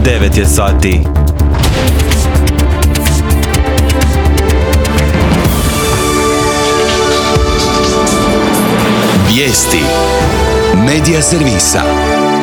9 je sati. Vijesti Medija servisa.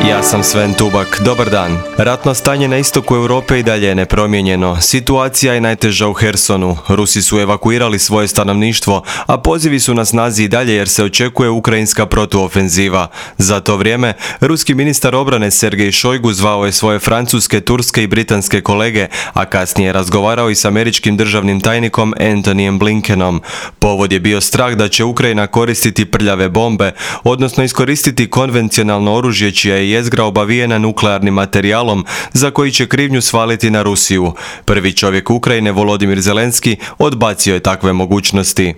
Ja sam Sven Tubak, dobar dan. Ratno stanje na istoku Europe i dalje je nepromijenjeno. Situacija je najteža u Hersonu. Rusi su evakuirali svoje stanovništvo, a pozivi su na snazi i dalje jer se očekuje ukrajinska protuofenziva. Za to vrijeme, ruski ministar obrane Sergej Šojgu zvao je svoje francuske, turske i britanske kolege, a kasnije je razgovarao i s američkim državnim tajnikom Antonyjem Blinkenom. Povod je bio strah da će Ukrajina koristiti prljave bombe, odnosno iskoristiti konvencionalno oružje čija je jezgra obavijena nuklearnim materijalom za koji će krivnju svaliti na Rusiju. Prvi čovjek Ukrajine, Volodimir Zelenski, odbacio je takve mogućnosti.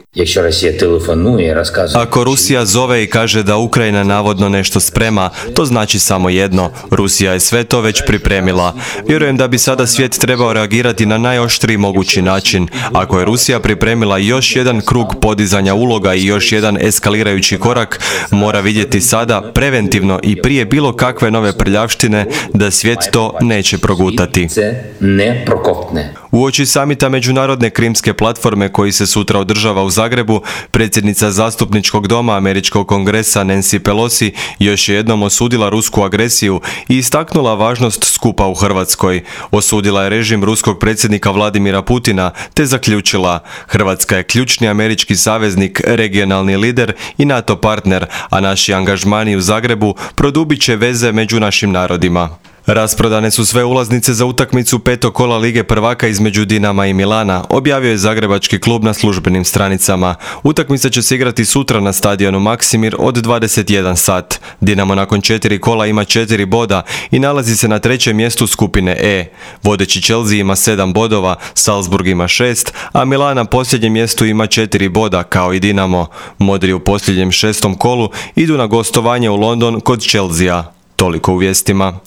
Ako Rusija zove i kaže da Ukrajina navodno nešto sprema, to znači samo jedno. Rusija je sve to već pripremila. Vjerujem da bi sada svijet trebao reagirati na najoštriji mogući način. Ako je Rusija pripremila još jedan krug podizanja uloga i još jedan eskalirajući korak, mora vidjeti sada, preventivno i prije bilo kakve nove prljavštine, da svijet to neće progutati. Uoči samita Međunarodne krimske platforme koji se sutra održava u Zagrebu, predsjednica zastupničkog doma Američkog kongresa Nancy Pelosi još je jednom osudila rusku agresiju i istaknula važnost skupa u Hrvatskoj. Osudila je režim ruskog predsjednika Vladimira Putina te zaključila: Hrvatska je ključni američki saveznik, regionalni lider i NATO partner, a naši angažmani u Zagrebu produbit će veze među našim narodima. Rasprodane su sve ulaznice za utakmicu petog kola Lige prvaka između Dinama i Milana, objavio je zagrebački klub na službenim stranicama. Utakmica će se igrati sutra na stadionu Maksimir od 21 sat. Dinamo nakon 4 kola ima 4 boda i nalazi se na trećem mjestu skupine E. Vodeći Chelsea ima 7 bodova, Salzburg ima 6, a Milan na posljednjem mjestu ima 4 boda kao i Dinamo. Modri u posljednjem 6. kolu idu na gostovanje u London kod Chelsea. Toliko u vijestima.